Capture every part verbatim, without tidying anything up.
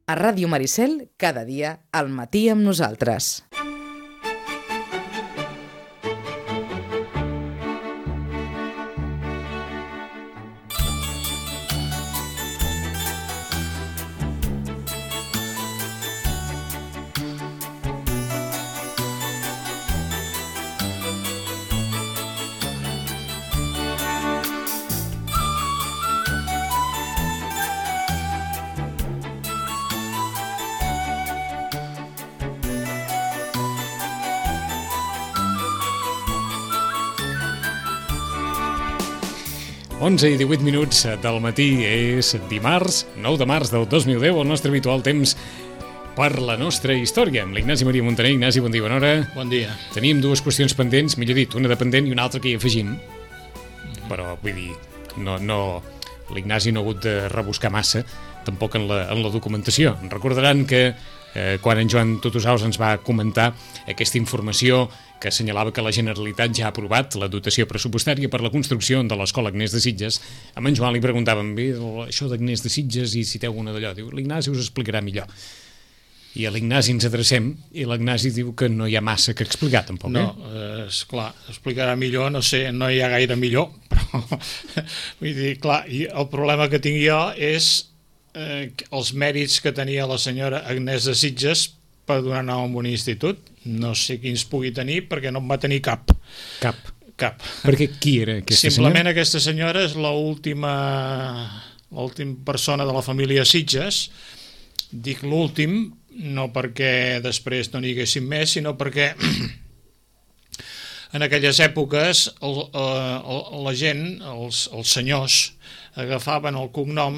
A Ràdio Maricel, cada dia, al matí amb nosaltres. onze i divuit minuts del matí, és dimarts, nou de març del dos mil deu, el nostre habitual temps per la nostra història. Amb l'Ignasi Maria Montaner. Ignasi, bon dia, bona hora. Bon dia. Teníem dues qüestions pendents, millor dit, una de pendent i una altra que hi afegim. Però, vull dir, no, no, l'Ignasi no ha hagut de rebuscar massa, tampoc en la, en la documentació. Recordaran que eh, quan en Joan Tutusaus ens va comentar aquesta informació que assenyalava que la Generalitat ja ha aprovat la dotació pressupostària per la construcció de l'Escola Agnès de Sitges, amb en Joan li preguntàvem, bé, això d'Agnès de Sitges, i citeu una d'allò. Diu, l'Ignasi us explicarà millor. I a l'Ignasi ens adrecem, i l'Ignasi diu que no hi ha massa que explicar, tampoc, eh? No, eh, esclar, explicarà millor, no sé, no hi ha gaire millor, però, vull dir, clar, i el problema que tinc jo és eh, els mèrits que tenia la senyora Agnès de Sitges per donar nom a un institut. No sé quins pugui tenir, perquè no en va tenir cap. Cap? Cap. Perquè qui era aquesta Simplement senyora? Aquesta senyora és l'última l'última persona de la família Sitges. Dic l'últim, no perquè després no n'hi haguessin més, sinó perquè en aquelles èpoques el, el, la gent, els, els senyors, agafaven el cognom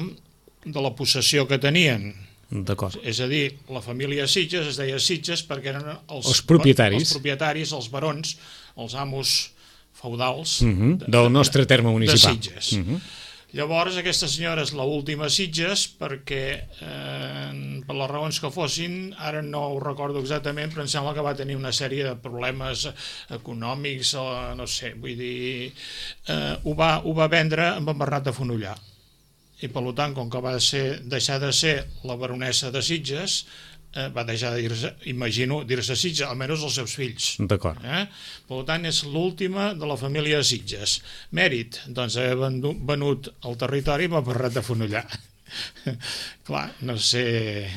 de la possessió que tenien. D'acord. És a dir, la família Sitges es deia Sitges perquè eren els, els propietaris, els, propietaris, els barons, els amos feudals uh -huh. de, del nostre terme municipal. De Sitges. Uh -huh. Llavors, aquesta senyora és l'última Sitges perquè, eh, per les raons que fossin, ara no ho recordo exactament, però em sembla que va tenir una sèrie de problemes econòmics, o no sé, vull dir, eh, ho, va, ho va vendre amb en Bernat de Fonollar. I per tant, com que va ser, deixar de ser la baronessa de Sitges, eh, va deixar de dir-se, imagino, dir-se Sitges, almenys els seus fills. D'acord. Eh? Per tant, és l'última de la família de Sitges. Mèrit, doncs, haver venut el territori amb Bernat de Fonollar. Clar, no sé,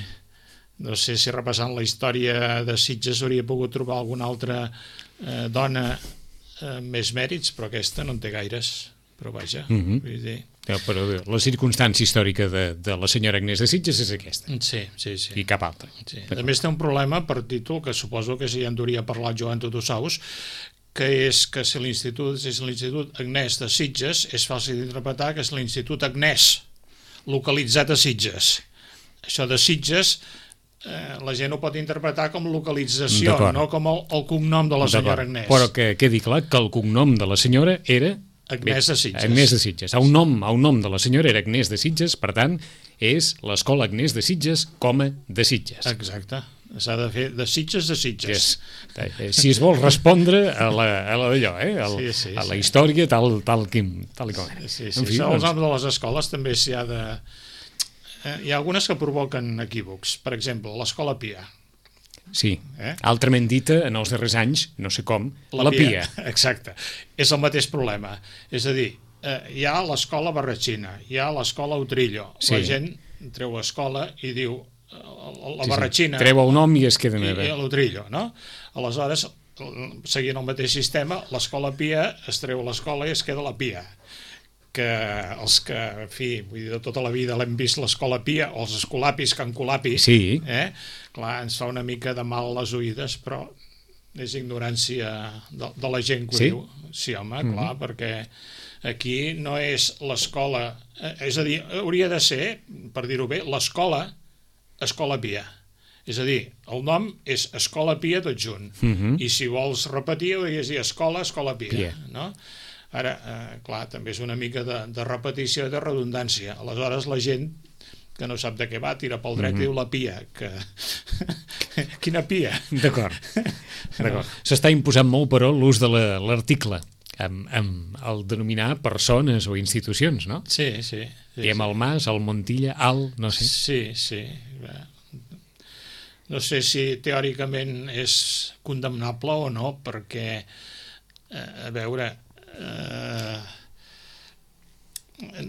no sé si repassant la història de Sitges hauria pogut trobar alguna altra eh, dona eh, més mèrits, però aquesta no en té gaires. Però vaja, uh -huh. vull dir... Ja, però la circumstància històrica de, de la senyora Agnès de Sitges és aquesta. Sí, sí, sí. I cap altra. Sí. A més té un problema per títol, que suposo que ja en hauria parlat Joan Tutusaus, que és que si l'institut és l'Institut Agnès de Sitges, és fàcil d'interpretar que és l'Institut Agnès, localitzat a Sitges. Això de Sitges, eh, la gent ho pot interpretar com localització, no com el, el cognom de la senyora Agnès. Però que quedi clar que el cognom de la senyora era... Agnès de Sitges. Agnès de Sitges. A un nom, a un nom de la senyora era Agnès de Sitges, per tant, és l'Escola Agnès de Sitges, coma, de Sitges. Exacte. S'ha de fer de Sitges de Sitges. Yes. Si es vol respondre a la, a la d'allò, eh? Al, sí, sí, a la sí. història tal, tal, com, tal i com era. Sí, sí. En fi, Això, doncs... els noms de les escoles també s'hi ha de... Eh, hi ha algunes que provoquen equívocs. Per exemple, l'Escola Pia. Sí, eh? altrament dita, en els darrers anys, no sé com, la, la Pia. Pia. Exacte. És el mateix problema. És a dir, eh, hi ha l'escola Barratxina, hi ha l'escola Utrillo. Sí. La gent treu escola i diu la, la sí, Barratxina... Sí. Treu el nom i es queden a veure. I l'Utrillo, no? Aleshores, seguint el mateix sistema, l'escola Pia es treu l'escola i es queda la Pia. Que els que, en fi, vull dir, de tota la vida l'hem vist l'escola Pia, o els escolapis que encolapi, sí. eh? Clar, ens fa una mica de mal a les oïdes, però és ignorància de, de la gent que ho sí? diu. Sí, home, mm-hmm. clar, perquè aquí no és l'escola, eh, és a dir, hauria de ser, per dir-ho bé, l'escola Escola Pia. És a dir, el nom és Escola Pia tot junt, mm-hmm. i si vols repetir, hauries de dir Escola, Escola Pia, Pia. no? Ara, eh, clar, també és una mica de, de repetició i de redundància. Aleshores, la gent que no sap de què va, tira pel dret mm-hmm. i diu la Pia, que... Quina Pia? D'acord. No. S'està imposant molt, però, l'ús de l'article amb, amb el denominar persones o institucions, no? Sí, sí. sí Diem sí. el Mas, el Montilla, el... no sé. Sí, sí. No sé si teòricament és condemnable o no, perquè, eh, a veure, eh,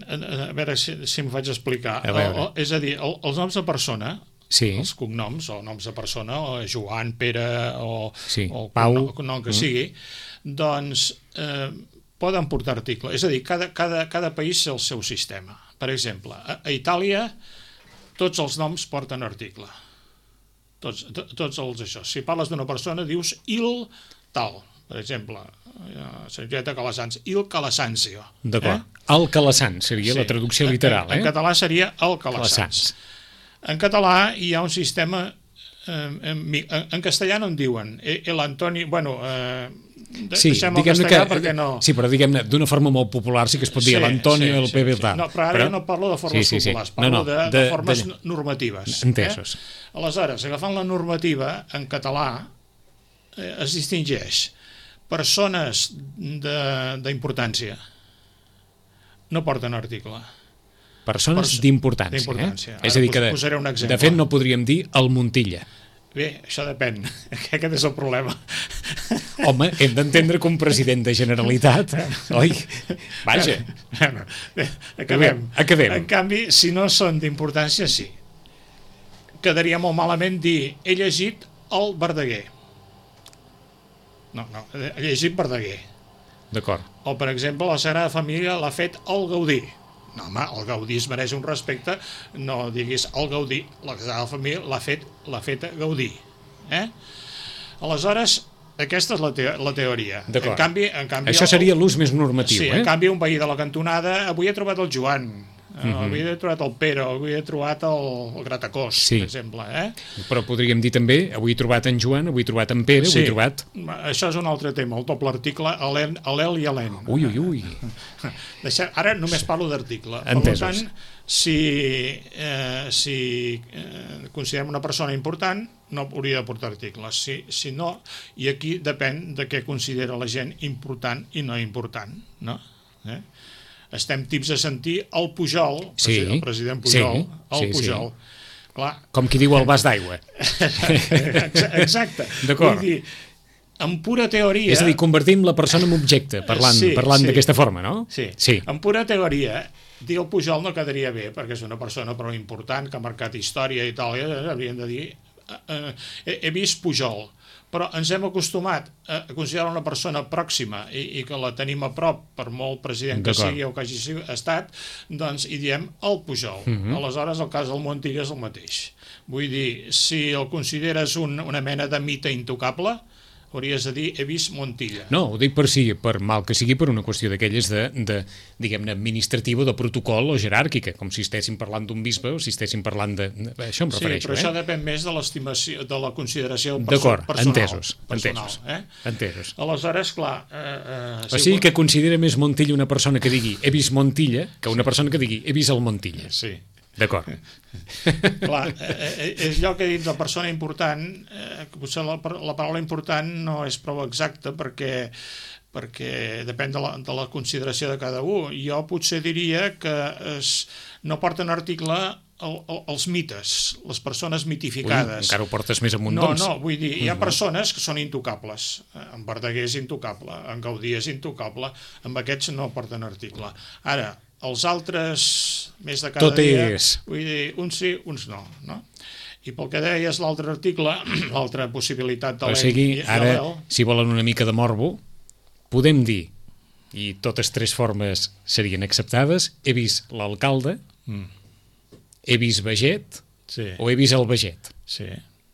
a veure si, si em faig explicar. A veure. El, el, és a dir, el, els noms de persona, Sí. els cognoms, o noms de persona, o Joan, Pere, o, Sí. o Pau. el cognom, cognom que Mm. sigui, doncs eh, poden portar article. És a dir, cada, cada, cada país té el seu sistema. Per exemple, a, a Itàlia tots els noms porten article. Tots, to, tots els això. Si parles d'una persona dius il tal, per exemple, Sergeta Calasanz, il Calasanzio. D'acord. Eh? El Calasanz seria Sí. la traducció literal, En, en eh? català seria el Calasanz. Calasanz. En català hi ha un sistema, eh, en, en, en castellà no en diuen, el Antoni, bueno, eh, de, Sí, deixem el diguem-ne castellà que, perquè no... sí, però diguem-ne, d'una forma molt popular sí que es pot dir l'Antonio, el Pepe, tal. No, però ara però... ja no parlo de formes sí, sí, sí. populars, parlo no, no, de, de, de, formes de... normatives. Entesos. Eh? Aleshores, agafant la normativa en català, eh, es distingeix persones d'importància no porten article. Persones Perso- d'importància. d'importància. Eh? És Ara a dir, que pos- de, posaré un exemple. de fet no podríem dir el Montilla. Bé, això depèn. Aquest és el problema. Home, hem d'entendre que un president de Generalitat... Oi? Vaja. Bueno, bé, acabem. Acabem. En canvi, si no són d'importància, sí. Quedaria molt malament dir he llegit el Verdaguer. No, no, he llegit Verdaguer. D'acord. O, per exemple, la Sagrada Família l'ha fet el Gaudí. No, home, el Gaudí es mereix un respecte, no diguis el Gaudí, la Sagrada Família l'ha fet, l'ha fet Gaudí. Eh? Aleshores, aquesta és la, te la teoria. D'acord. En canvi, en canvi, Això seria l'ús més normatiu, sí, eh? en canvi, un veí de la cantonada, avui he trobat el Joan, uh -huh. avui he trobat el Pere, avui he trobat el, el Gratacós, Sí. per exemple. Eh? Però podríem dir també, avui he trobat en Joan, avui he trobat en Pere, avui he trobat... Això és un altre tema, el doble article, alel i alent. Ui, ui, ui. Deixem, ara només parlo d'article. Per Entesos. tant, si, eh, si eh, considerem una persona important, no hauria de portar articles. Si, si no, i aquí depèn de què considera la gent important i no important. No? Eh? Estem tips a sentir el Pujol, Sí, el president Pujol, sí, el sí, Pujol. sí. Clar, Com qui diu el vas d'aigua. exacte. D'acord. Vull dir, en pura teoria... És a dir, convertim la persona en objecte, parlant, Sí, parlant sí. d'aquesta forma, no? Sí. Sí. En pura teoria, dir el Pujol no quedaria bé, perquè és una persona prou important, que ha marcat història i tal, i haurien de dir eh, eh, he vist Pujol, però ens hem acostumat a considerar una persona pròxima i, i que la tenim a prop, per molt president que sigui o que hagi estat, doncs hi diem el Pujol. Uh -huh. Aleshores, el cas del Montilla és el mateix. Vull dir, si el consideres un, una mena de mite intocable, hauries de dir he vist Montilla. No, ho dic per si, per mal que sigui, per una qüestió d'aquelles de, de diguem-ne, administrativa, de protocol o jeràrquica, com si estéssim parlant d'un bisbe o si estéssim parlant de... Això em Sí, refereixo, però eh? això depèn més de l'estimació, de la consideració perso D'acord, personal. entesos, personal, entesos, eh? entesos. Aleshores, clar... Eh, eh, O sigui que considera més Montilla una persona que digui he vist Montilla que una persona que digui he vist el Montilla. Sí. D'acord. Clar, eh, és allò que he dit de persona important, eh, que potser la, la paraula important no és prou exacta perquè perquè depèn de la, de la consideració de cada un. Jo potser diria que es, no porten article el, el, els mites, les persones mitificades. Ui, encara ho portes més amunt, No, doncs. no, vull dir, hi ha persones que són intocables. En Verdaguer és intocable, en Gaudí és intocable, amb aquests no porten article. Ara, els altres, més de cada Tot dia, és. vull dir, uns sí, uns no, no? I pel que deies l'altre article, l'altra possibilitat de O l'E sigui, i ara, l'E, si volen una mica de morbo, podem dir, i totes tres formes serien acceptades, he vist l'alcalde, mm. he vist Veget sí, o he vist el Veget. sí,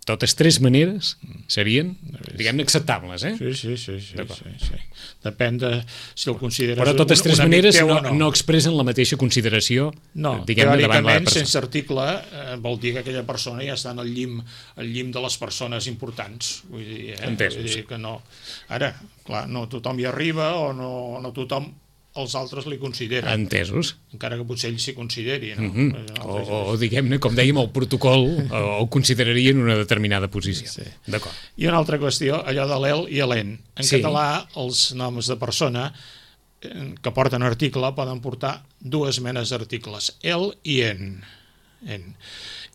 Totes tres maneres serien, diguem-ne, acceptables, eh? sí, sí, sí, sí, sí, sí. Depèn de si el consideres Però totes un, tres un amic maneres teu no, o no. no expressen la mateixa consideració, No, diguem-ne, davant la teòricament, persona. sense article, eh, vol dir que aquella persona ja està en el llim, el llim de les persones importants. Vull dir, eh? Entesos. Vull dir que no. Ara, clar, no tothom hi arriba o no, no tothom els altres li consideren, Entesos. encara que potser ells s'hi consideri. No? Uh -huh. O, o diguem-ne, com dèiem, el protocol o, o considerarien una determinada posició. Sí. D'acord. I una altra qüestió, allò de l'el i l'en. En Sí. català, els noms de persona eh, que porten article poden portar dues menes d'articles, el i en. en.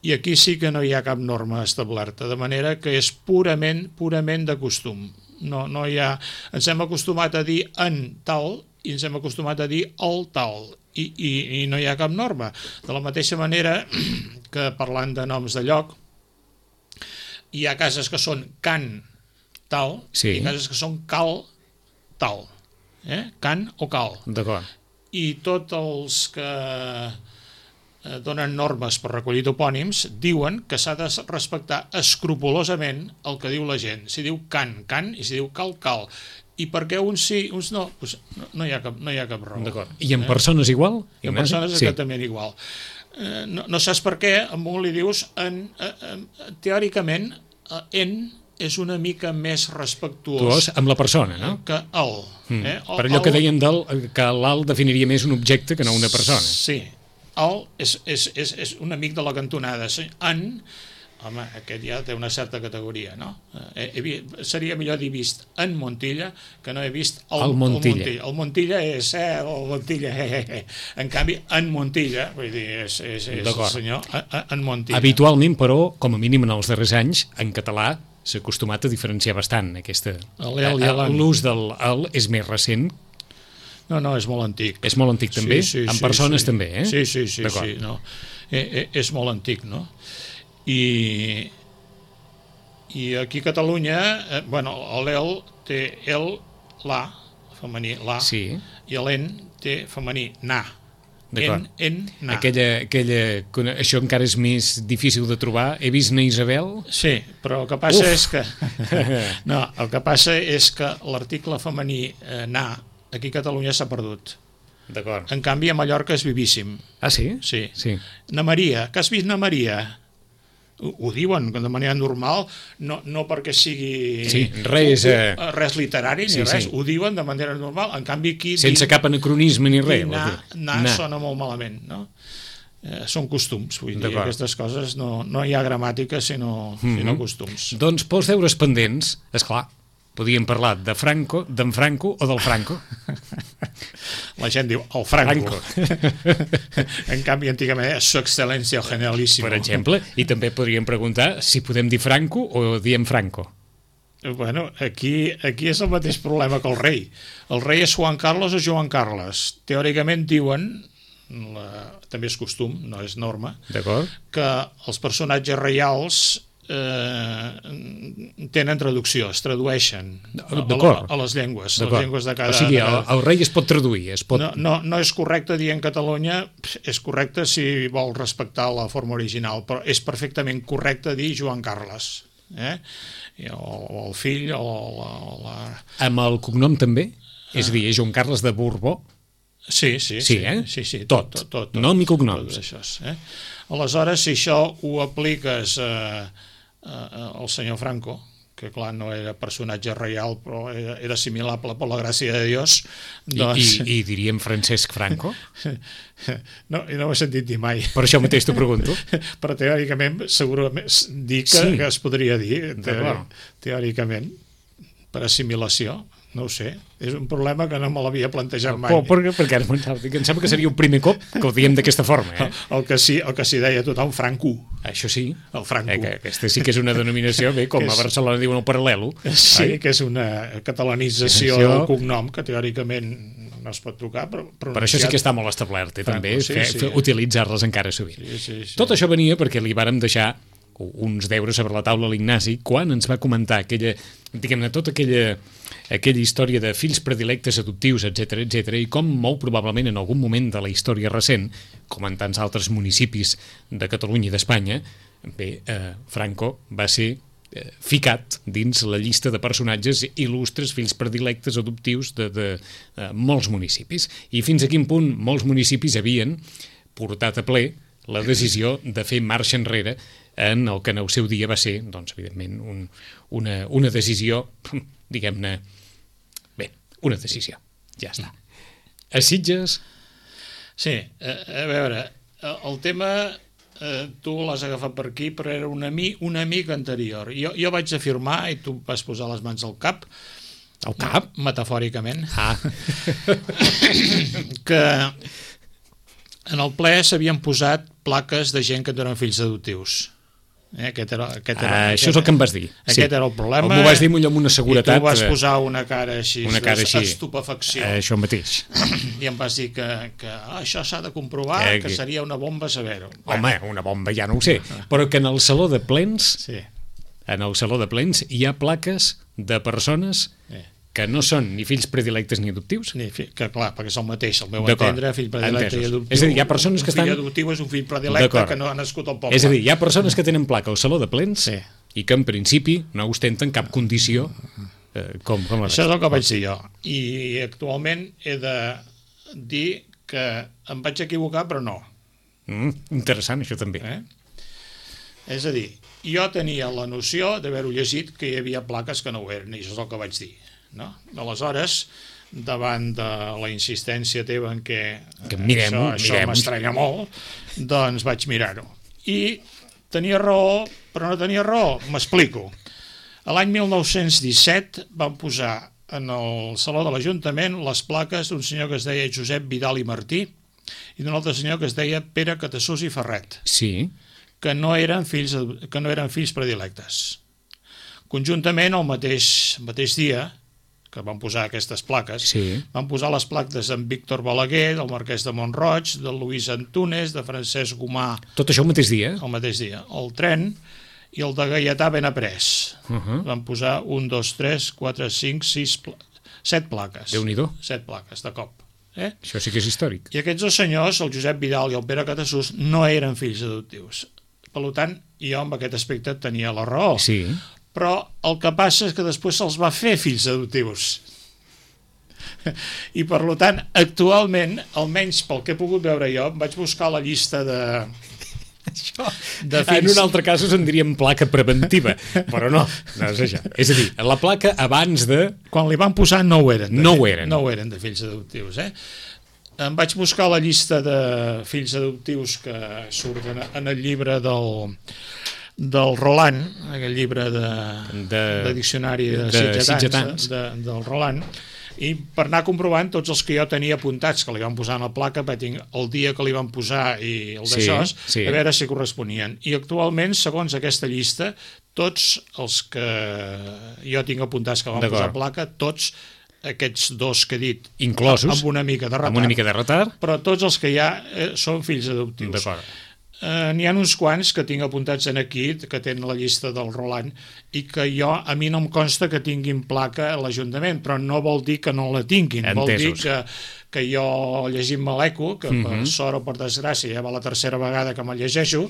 I aquí sí que no hi ha cap norma establerta, de manera que és purament, purament de costum. No, no hi ha... Ens hem acostumat a dir en tal i ens hem acostumat a dir el tal, i, i, i no hi ha cap norma. De la mateixa manera que parlant de noms de lloc, hi ha cases que són can tal sí. i cases que són cal tal. Eh? Can o cal. D'acord. I tots els que donen normes per recollir topònims diuen que s'ha de respectar escrupolosament el que diu la gent. Si diu can, can, i si diu cal, cal. I perquè uns sí, uns no, doncs no, no, hi ha cap, no hi ha cap raó. D'acord. I en persones igual? I en persones sí. exactament igual. Eh, no, no saps per què, a un li dius en, eh, eh, teòricament eh, en és una mica més respectuós amb la persona, no? Que el. Mm. Eh? el per allò el, que dèiem del, que l'alt definiria més un objecte que no una persona. Sí, el és, és, és, és un amic de la cantonada. En, home, aquest ja té una certa categoria, no? Eh, he, seria millor dir vist en Montilla que no he vist el, el Montilla. El Montilla. El Montilla és, eh, el Montilla, eh, eh, eh. En canvi, en Montilla, vull dir, és, és, és el senyor en Montilla. Habitualment, però, com a mínim en els darrers anys, en català s'ha acostumat a diferenciar bastant aquesta... L'ús del el és més recent. No, no, és molt antic. És molt antic també? Sí, sí, en sí, persones sí. també, eh? Sí, sí, sí, sí no. eh, eh, és molt antic, no? I, i aquí a Catalunya, eh, bueno, l'el té el, la, femení, la, sí. i l'en té femení, na. En, en, na. Aquella, aquella, això encara és més difícil de trobar. He vist na Isabel? Sí, però el que passa Uf. és que... no, el que passa és que l'article femení eh, na aquí a Catalunya s'ha perdut. D'acord. En canvi, a Mallorca és vivíssim. Ah, sí? Sí. sí. Na Maria, que has vist na Maria? Ho, ho diuen de manera normal, no, no perquè sigui sí, res, eh... res literari ni sí, res, sí. Ho diuen de manera normal, en canvi aquí... Sense din, cap anacronisme ni res. Na, na, na sona molt malament, no? Eh, són costums, vull dir, aquestes coses no, no hi ha gramàtica sinó, mm-hmm. sinó costums. Doncs pels deures pendents, esclar, podíem parlar de Franco, d'en Franco o del Franco. La gent diu el Franco. Franco. En canvi, antigament és su excel·lència generalíssima. Per exemple, i també podríem preguntar si podem dir Franco o diem Franco. Bueno, aquí, aquí és el mateix problema que el rei. El rei és Juan Carlos o Joan Carles. Teòricament diuen, la, també és costum, no és norma, que els personatges reials Eh, tenen traducció, es tradueixen a, a, a les llengües, les llengües de cada... O sigui, el, el rei es pot traduir, es pot... No, no, no és correcte dir en Catalunya, és correcte si vol respectar la forma original, però és perfectament correcte dir Joan Carles, eh? o, o el fill, o la, o la... Amb el cognom també? És a dir, és Joan Carles de Borbó? Sí, sí, sí, sí, eh? sí, sí tot, tot, tot, tot, nom i cognoms. Tot això, eh? Aleshores, si això ho apliques eh, eh, al senyor Franco, que clar, no era personatge reial, però era, era assimilable per la gràcia de Dios, doncs... I, i, i diríem Francesc Franco? No, no ho he sentit dir mai. Per això mateix t'ho pregunto. Però teòricament, segurament, dir que, sí. que es podria dir, teòric, teòricament, per assimilació. No ho sé, és un problema que no me l'havia plantejat mai. Oh, perquè, perquè ara em sembla que seria un primer cop que ho diem d'aquesta forma. Eh? El, el que sí, el que sí deia tothom, Franco. Això sí. El Franco. Eh, que aquesta sí que és una denominació, bé, com a Barcelona diuen el paral·lelo. Sí, ai? Que és una catalanització això... del cognom que teòricament no es pot tocar, però pronunciat... Per això sí que està molt establert, eh, també, sí, fer, sí, fer, eh? utilitzar-les encara sovint. Sí, sí, sí. Tot això venia perquè li vàrem deixar uns deures sobre la taula a l'Ignasi quan ens va comentar aquella, diguem-ne, tota aquella, aquella història de fills predilectes adoptius, etcètera, etcètera, i com molt probablement en algun moment de la història recent, com en tants altres municipis de Catalunya i d'Espanya, bé, eh, Franco va ser eh, ficat dins la llista de personatges il·lustres, fills predilectes adoptius de, de eh, molts municipis. I fins a quin punt molts municipis havien portat a ple la decisió de fer marxa enrere en el que en el seu dia va ser, doncs, evidentment, un, una, una decisió, diguem-ne, bé, una decisió, ja està. A Sitges? Sí, a, a veure, el tema, eh, tu l'has agafat per aquí, però era un amic, un amic anterior. Jo, jo vaig afirmar, i tu vas posar les mans al cap, al cap? Metafòricament, ah. que en el ple s'havien posat plaques de gent que no eren fills adoptius. Eh, aquest era, aquest era, ah, aquest, això és el que em vas dir. Aquest sí. era el problema. M'ho vas dir amb una seguretat. I tu vas posar una cara així, una cara així. Estupefacció. Eh, això mateix. I em vas dir que, que ah, això s'ha de comprovar, eh, que, que seria una bomba saber-ho. Home, bueno. Una bomba ja no ho sé, però que en el saló de plens, sí. en el saló de plens hi ha plaques de persones eh. que no són ni fills predilectes ni adoptius. Ni fi, que clar, perquè és el mateix, el meu entendre, fill predilecte i adoptiu. És a dir, hi ha persones que estan... Un fill adoptiu és un fill predilecte que no ha nascut al poble. És a dir, hi ha persones que tenen placa al saló de plens sí. i que en principi no ostenten cap condició eh, com, com això és el que vaig dir jo. I actualment he de dir que em vaig equivocar, però no. Mm, interessant, això també. Eh? És a dir, jo tenia la noció d'haver-ho llegit que hi havia plaques que no ho eren, i això és el que vaig dir. No? Aleshores, davant de la insistència teva en què que mirem, això, això m'estranya molt, doncs vaig mirar-ho. I tenia raó, però no tenia raó. M'explico. L'any mil nou-cents disset van posar en el Saló de l'Ajuntament les plaques d'un senyor que es deia Josep Vidal i Martí i d'un altre senyor que es deia Pere Catassús i Ferret, sí. que no eren fills, que no eren fills predilectes. Conjuntament, el mateix, el mateix dia que van posar aquestes plaques, sí. van posar les plaques d'en Víctor Balaguer, del Marquès de Montroig, de Luís Antunes, de Francesc Gomà... Tot això el mateix dia? El mateix dia. El Tren i el de Gaietà Benaprés. Uh -huh. Van posar un, dos, tres, quatre, cinc, sis... Pla... set plaques. Déu-n'hi-do. Set plaques, de cop. Eh? Això sí que és històric. I aquests dos senyors, el Josep Vidal i el Pere Catassús, no eren fills adoptius. Per tant, jo amb aquest aspecte tenia la raó. Sí. Però el que passa és que després se'ls va fer fills adoptius. I per tant, actualment, almenys pel que he pogut veure jo, vaig buscar la llista de... Això, de fills... En un altre cas us en diríem placa preventiva, però no, no és això. És a dir, la placa abans de... Quan li van posar no ho eren. De, no ho eren. No ho eren de fills adoptius, eh? Em vaig buscar la llista de fills adoptius que surten en el llibre del... del Roland, aquell llibre de, de, de diccionari de, de sitgetans, de, del Roland, i per anar comprovant tots els que jo tenia apuntats que li van posar en la placa, vaig el dia que li van posar i el d'això, sí, sí. A veure si corresponien. I actualment, segons aquesta llista, tots els que jo tinc apuntats que van posar placa, tots aquests dos que he dit, inclosos, amb una mica de retard, amb una mica de retard, però tots els que hi ha eh, són fills adoptius. D'acord. Uh, n'hi ha uns quants que tinc apuntats en aquí, que tenen la llista del Roland, i que jo, a mi no em consta que tinguin placa a l'Ajuntament, però no vol dir que no la tinguin. Entesos. Vol dir que, que jo, llegint-me l'Eco, que uh-huh. per sort o per desgràcia ja va la tercera vegada que me'l llegeixo,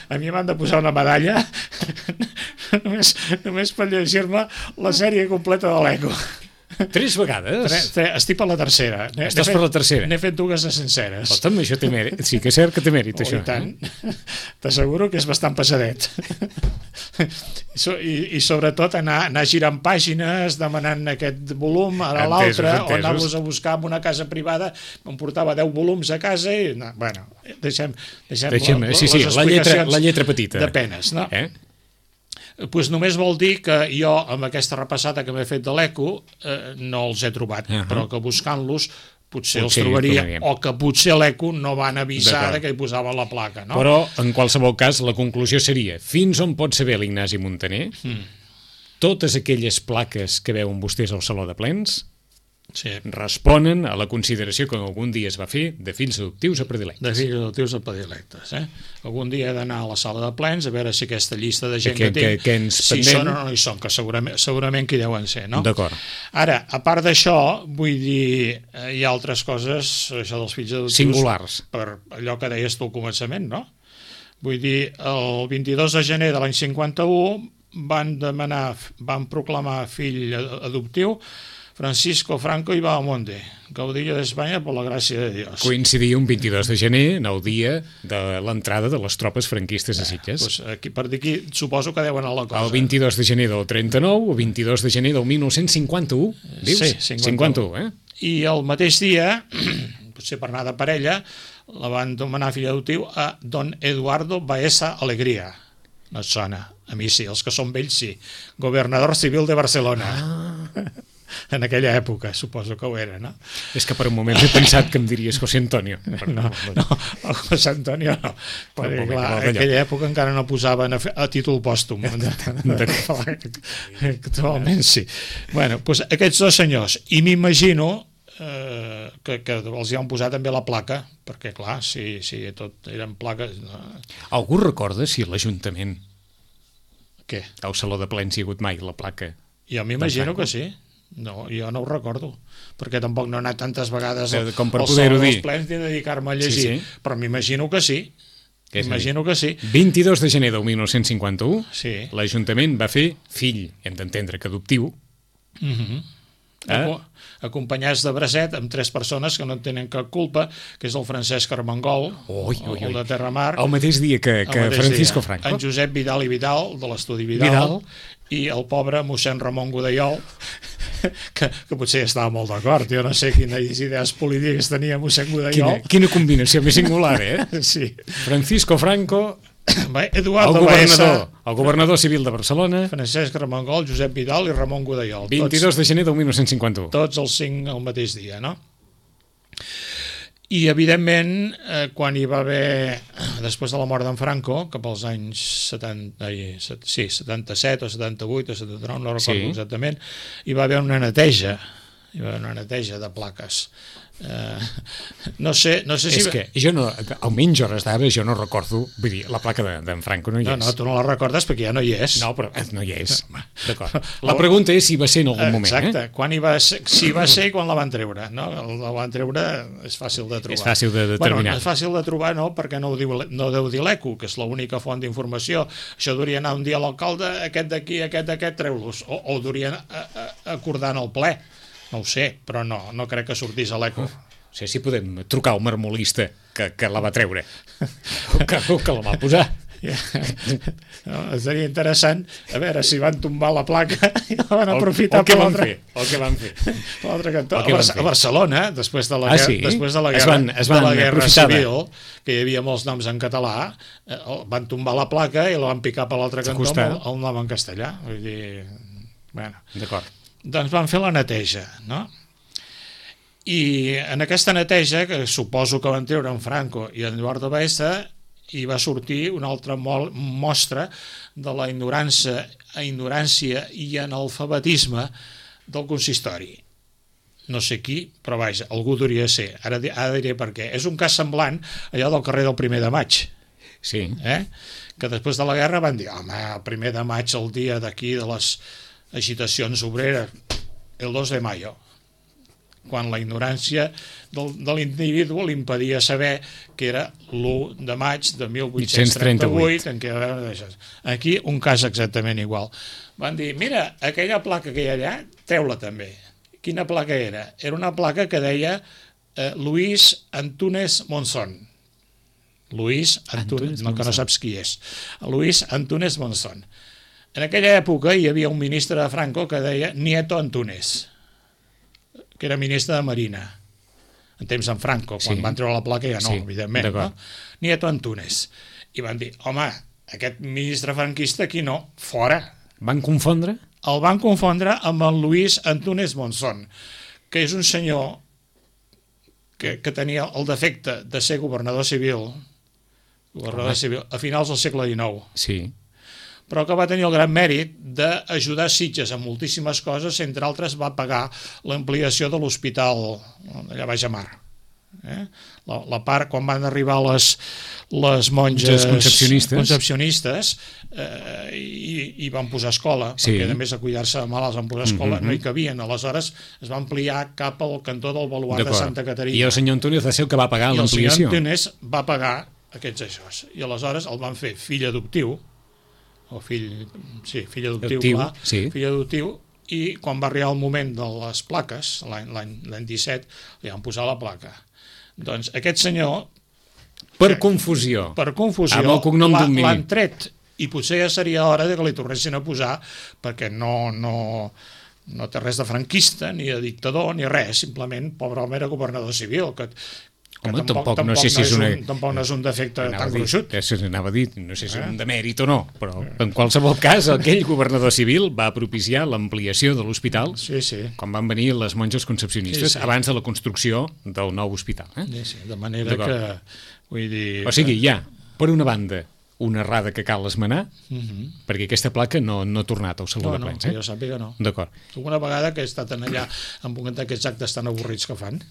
a mi m'han de posar una medalla només, només per llegir-me la sèrie completa de l'Eco. Tres vegades? Tre, tre, estic per la tercera. Estàs fet, per la tercera? N'he fet dues de senceres. Escolta'm, això té mèrit. Sí que és cert que té mèrit, oh, això. I tant. Eh? T'asseguro que és bastant passadet. I, i sobretot anar, anar girant pàgines, demanant aquest volum, ara l'altre, o anar-los a buscar en una casa privada, em portava deu volums a casa i... No, bueno, deixem, deixem, deixem la, sí, sí, les la lletra, la lletra petita. De penes, no? Eh? Pues només vol dir que jo, amb aquesta repassada que m'he fet de l'Eco, eh, no els he trobat, uh-huh. però que buscant-los potser, potser els trobaria, o que potser l'Eco no van avisar de que hi posaven la placa. No? Però, en qualsevol cas, la conclusió seria, fins on pot saber l'Ignasi Montaner, mm. totes aquelles plaques que veuen vostès al Saló de Plens sí. responen a la consideració que algun dia es va fer de fills adoptius a predilectes. De fills adoptius a predilectes. Eh? Algun dia he d'anar a la sala de plens a veure si aquesta llista de gent que, que, que té, que ens si pendent... són o no hi són, que segurament, segurament que hi deuen ser. No? D'acord. Ara, a part d'això, vull dir, hi ha altres coses, això dels fills adoptius... Singulars. Per allò que deies tu al començament, no? Vull dir, el vint-i-dos de gener de l'any cinquanta-u van demanar, van proclamar fill adoptiu Francisco Franco i Bahamonde, caudillo d'Espanya per la gràcia de Dios. Coincidia un vint-i-dos de gener, en el dia de l'entrada de les tropes franquistes a Sitges. Eh, doncs aquí, per dir aquí, suposo que deuen anar la cosa. El vint-i-dos de gener del trenta-nou, o vint-i-dos de gener del mil nou-cents cinquanta-u, dius? Sí, cinquanta-u. cinquanta-u, eh? I el mateix dia, potser per anar de parella, la van demanar fill adoptiu a don Eduardo Baeza Alegría. No et sona? A mi sí, els que són vells sí. Governador civil de Barcelona. Ah. En aquella època, suposo que ho era, no? És que per un moment he pensat que em diries José Antonio. No, no, el José Antonio no. Perquè, clar, en aquella època encara no posaven a, a títol pòstum. Actualment sí. Bueno, doncs aquests dos senyors, i m'imagino eh, que, que els hi han posat també la placa, perquè clar, si, si tot eren plaques... No. Algú recorda si l'Ajuntament, què? al Saló de Plens hi ha hagut mai la placa? Jo m'imagino que sí. No, jo no ho recordo, perquè tampoc no he anat tantes vegades al, com per al poder-ho Saló dir. dels Plens ni dedicar-me a llegir, sí, sí. Però m'imagino que sí. Que m'imagino que sí. vint-i-dos de gener del mil nou-cents cinquanta-u, sí. l'Ajuntament va fer fill, hem d'entendre que adoptiu, mm-hmm. eh? acompanyats de bracet amb tres persones que no en tenen cap culpa, que és el Francesc Armengol, ui, ui, ui. el de Terramar, el mateix dia que, que mateix Francisco dia. Franco, En Josep Vidal i Vidal, de l'estudi Vidal, Vidal, i el pobre mossèn Ramon Godellol, que, que potser estava molt d'acord, jo no sé quines idees polítiques tenia mossèn Godellol. Quina, quina combinació més singular, eh? Sí. Francisco Franco, Eduardo el governador, Baeza, el governador civil de Barcelona, Francesc Armengol, Josep Vidal i Ramon Godellol. vint-i-dos de gener del mil nou-cents cinquanta-u. Tots els cinc el mateix dia, no? I, evidentment, eh, quan hi va haver, després de la mort d'en Franco, cap als anys setanta, ai, sí, setanta-set o setanta-vuit o setanta-nou, no recordo sí. exactament, hi va haver una neteja, hi va haver una neteja de plaques. Uh, no sé, no sé si... És que jo no, almenys hores d'ara jo no recordo, vull dir, la placa d'en de, Franco no hi és. No, no, tu no la recordes perquè ja no hi és. No, però no hi és. D'acord. La pregunta és si va ser en algun moment. Exacte, eh? quan hi va ser, si va ser i quan la van treure. No? La van treure és fàcil de trobar. És fàcil de determinar. Bueno, és fàcil de trobar, no, perquè no ho diu, no deu dir l'ECO, que és l'única font d'informació. Això hauria anar un dia a l'alcalde, aquest d'aquí, aquest d'aquest, treu-los. O, o ho haurien acordar en el ple. No ho sé, però no, no crec que sortís a l'ECO. No sé si podem trucar al marmolista que, que la va treure o que, o que la va posar. Ja. No, seria interessant a veure si van tombar la placa i la van aprofitar per l'altre el que van fer l'altre cantó. A, Bar a Barcelona, després de la, ah, guerra, sí? després de la guerra, es van, es van de la guerra civil, que hi havia molts noms en català, eh, van tombar la placa i la van picar per l'altre cantó amb el, el nom en castellà. Vull dir, bueno. D'acord. Doncs van fer la neteja, no? I en aquesta neteja, que suposo que van treure en Franco i en Eduardo Baeza, hi va sortir una altra mostra de la ignorància, ignorància i analfabetisme del consistori. No sé qui, però vaja, algú hauria de ser. Ara, ara diré per què. És un cas semblant allò del carrer del primer de maig. Sí. Eh? Que després de la guerra van dir, home, el primer de maig, el dia d'aquí de les agitacions obreres, el dos de mayo, quan la ignorància del, de l'individu li impedia saber que era l'u de maig de mil vuit-cents trenta-vuit, en què aquí un cas exactament igual. Van dir, mira, aquella placa que hi ha allà, treu-la també. Quina placa era? Era una placa que deia eh, Luis Antúnez Monzón. Luis Antúnez, no, que no saps qui és. Luis Antúnez Monzón. En aquella època hi havia un ministre de Franco que deia Nieto Antúnez, que era ministre de Marina, en temps en Franco, quan sí. van treure la placa ja no, sí, evidentment, no? Nieto Antúnez. I van dir, home, aquest ministre franquista aquí no, fora. Van confondre? El van confondre amb el Luis Antúnez Monzón, que és un senyor que, que tenia el defecte de ser governador civil, governador home. civil a finals del segle dinou. Sí. Però que va tenir el gran mèrit d'ajudar Sitges en moltíssimes coses, entre altres va pagar l'ampliació de l'hospital allà baix a mar. Eh? La, la part, quan van arribar les, les monges concepcionistes, concepcionistes eh, i, i van posar escola, sí. perquè a més de cuidar-se de malalts van posar escola, mm-hmm. no hi cabien, aleshores es va ampliar cap al cantó del baluart de Santa Caterina. I el senyor Antúnez va ser el que va pagar l'ampliació. I el senyor Antúnez va pagar aquests això. I aleshores el van fer fill adoptiu, o fill, sí, fill adoptiu, adoptiu, clar, sí. fill adoptiu, i quan va arribar el moment de les plaques, l'any disset, li van posar la placa. Doncs aquest senyor... Per confusió. Per confusió, amb el cognom d'un mínim. L'han tret, i potser ja seria hora de que li tornessin a posar, perquè no, no, no té res de franquista, ni de dictador, ni res, simplement, pobre home, era governador civil, que Home, tampoc, tampoc, no sé si és, és una... un, tampoc no és un defecte tan gruixut. Ja anava a dir, no sé si és un demèrit o no, però en qualsevol cas aquell governador civil va propiciar l'ampliació de l'hospital sí, sí. quan van venir les monges concepcionistes, sí, sí. abans de la construcció del nou hospital. Eh? Sí, sí, de manera que... Vull dir... O sigui, hi ha, per una banda, una errada que cal esmenar, uh -huh. perquè aquesta placa no, no ha tornat al Saló no, de Plens. No, eh? que jo sàpiga no. D'acord. Alguna vegada que he estat en allà amb un d'aquests actes tan avorrits que fan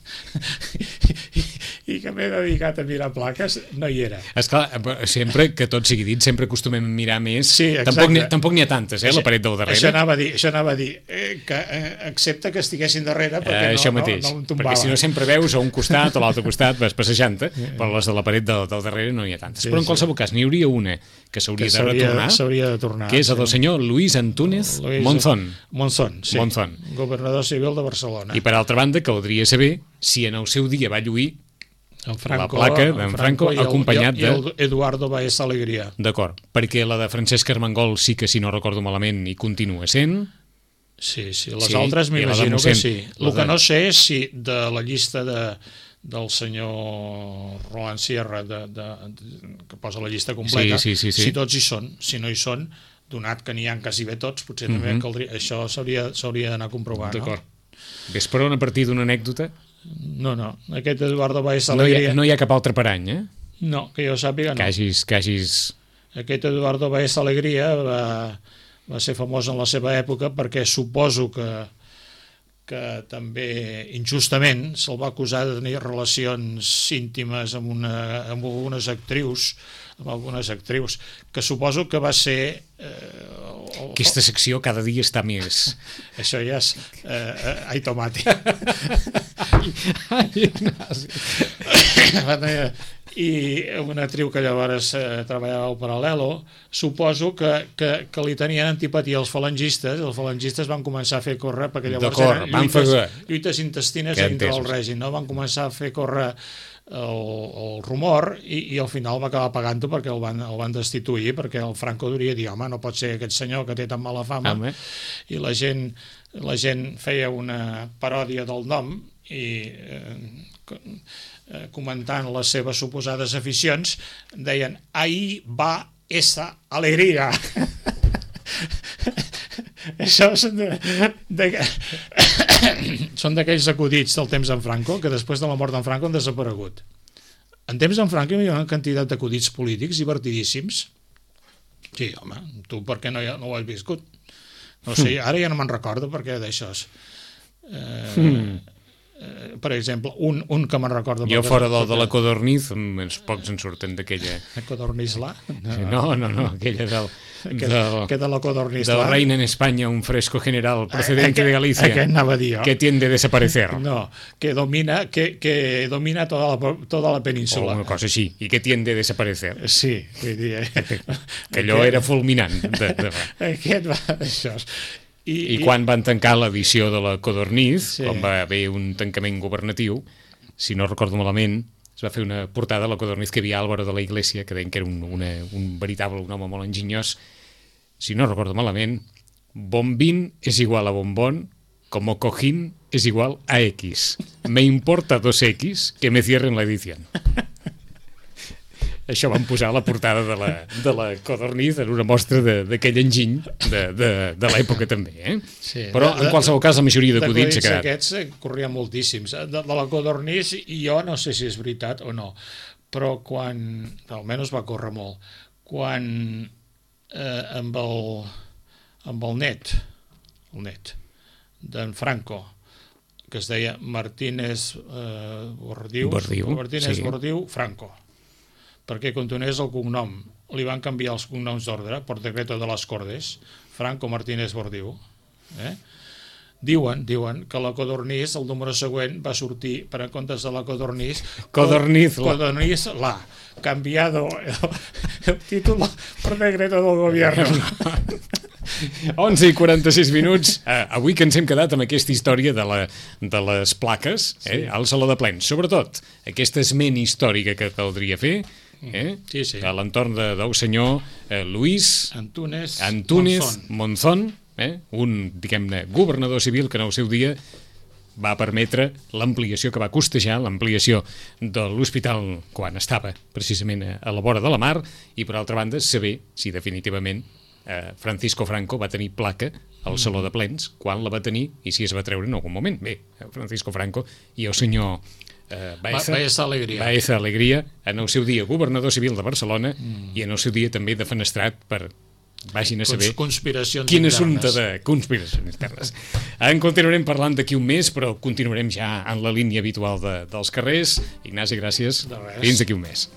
i, i que m'he dedicat a mirar plaques, no hi era. Esclar, sempre, que tot sigui dit, sempre acostumem a mirar més. Sí, tampoc n'hi tampoc n'hi ha tantes, eh, això, la paret del darrere. Això anava a dir, això anava a dir eh, que eh, accepta que estiguessin darrere perquè eh, no, això mateix, no, no em tombava. Perquè si no sempre veus a un costat o a l'altre costat vas passejant-te, però les de la paret del, del darrere no n'hi ha tantes. Sí, però en qualsevol sí. cas n'hi hauria una que s'hauria de retornar, de tornar, que és el del sí. senyor Luis Antúnez Luis Monzón. Monzón, sí. Monzón. Governador civil de Barcelona. I per altra banda, caldria saber si en el seu dia va lluir en Franco, la placa d'en Franco, Franco acompanyat i el, i el Eduardo Baeza Alegría. D'acord, perquè la de Francesc Armengol sí que, si no recordo malament, hi continua sent. Sí, sí, les sí, altres m'imagino que sí. El que de... no sé és si de la llista de del senyor Roland Sierra de, de, de, que posa la llista completa, sí, sí, sí, sí. si tots hi són, si no hi són, donat que n'hi ha quasi bé tots, potser també uh-huh. caldria, això s'hauria d'anar a comprovar. D'acord. No? Ves per on a partir d'una anècdota? No, no, aquest Eduardo Baeza no Alegría... Hi ha, no hi ha cap altre parany, eh? No, que jo sàpiga, no. Que hagis... Que hagis... Aquest Eduardo Baeza Alegría va, va ser famós en la seva època perquè suposo que que també injustament se'l va acusar de tenir relacions íntimes amb, una, amb algunes actrius, amb algunes actrius, que suposo que va ser... Eh, el, Aquesta secció cada dia està més... Això ja és... Eh, ai, tomate. Ai, Ignasi. I una actriu que llavors eh, treballava al Paral·lelo, suposo que, que, que li tenien antipatia als falangistes, els falangistes van començar a fer córrer, perquè llavors eren lluites, lluites intestines que entre el règim, no? Van començar a fer córrer el, el rumor i, i al final va acabar pagant-ho perquè el van, el van destituir, perquè el Franco diria dir, home, no pot ser aquest senyor que té tan mala fama, home. I la gent, la gent feia una paròdia del nom i... Eh, comentant les seves suposades aficions, deien ahí va esa alegría. Això són de, de, són d'aquells acudits del temps d'en Franco que després de la mort d'en Franco han desaparegut. En temps d'en Franco hi ha una quantitat d'acudits polítics divertidíssims. Sí, home, tu per què no, no ho has viscut? No sé, ara ja no me'n recordo perquè d'això és... Eh, mm. Uh, per exemple, un, un que me'n recordo... Jo fora del de la Codorniz, els pocs en surten d'aquella... La Codorniz-la? No, no, no, aquella del... Que, del, que de la Codorniz-la. Del reina en España, un fresco general procedente de Galicia. Aquest anava a dir jo. Que tiende a desaparecer. No, que domina, que, que domina toda la, toda la península. O una cosa així, i que tiende a desaparecer. Sí, vull dir... Que, que allò era fulminant. De, de... Aquest va d'això. I, I quan van tancar l'edició de la Codorniz, sí. quan va haver un tancament governatiu, si no recordo malament, es va fer una portada a la Codorniz que hi havia Álvaro de la Iglesia, que deien que era un, una, un veritable, un home molt enginyós. Si no recordo malament, bombín és igual a bombón, como cojín és igual a X. Me importa dos X que me cierren la edición. Això van posar a la portada de la, de la Codorniz en una mostra d'aquell enginy de, de, de l'època també. Eh? Sí, però de, en qualsevol cas la majoria d'acudits s'ha quedat. Aquests eh, corrien moltíssims. De, de la Codorniz i jo no sé si és veritat o no, però quan, almenys va córrer molt, quan eh, amb, el, amb el net, el net d'en Franco, que es deia Martínez eh, Bordiu, Bordiu, Martínez sí. Bordiu Franco, perquè continués el cognom. Li van canviar els cognoms d'ordre per decreto de les Cordes, Franco Martínez Bordiu. Eh? Diuen, diuen que la Codorniz, el número següent, va sortir, per en comptes de la Codorniz, Codorniz-la. Codorniz-la, cambiado el, el títol per decreto del govern. onze i quaranta-sis minuts. Uh, avui que ens hem quedat amb aquesta història de, la, de les plaques, eh, sí. al Saló de Plens. Sobretot, aquesta esment històrica que caldria fer, eh, sí, sí. a l'entorn de, del senyor eh, Luis Antúnez, Antúnez Monzón, Monzón, eh, un, diguem-ne, governador civil que en el seu dia va permetre l'ampliació que va costejar, l'ampliació de l'hospital quan estava precisament a la vora de la mar, i per altra banda saber si definitivament eh, Francisco Franco va tenir placa al Saló de Plens, quan la va tenir i si es va treure en algun moment. Bé, Francisco Franco i el senyor eh, Baeza, Baeza Alegria. Baeza Alegria, en el seu dia governador civil de Barcelona mm. i en el seu dia també defenestrat per, vagin a saber, conspiracions quin internes. assumpte de conspiracions internes. En continuarem parlant d'aquí un mes, però continuarem ja en la línia habitual de, dels carrers. Ignasi, gràcies. Fins d'aquí un mes.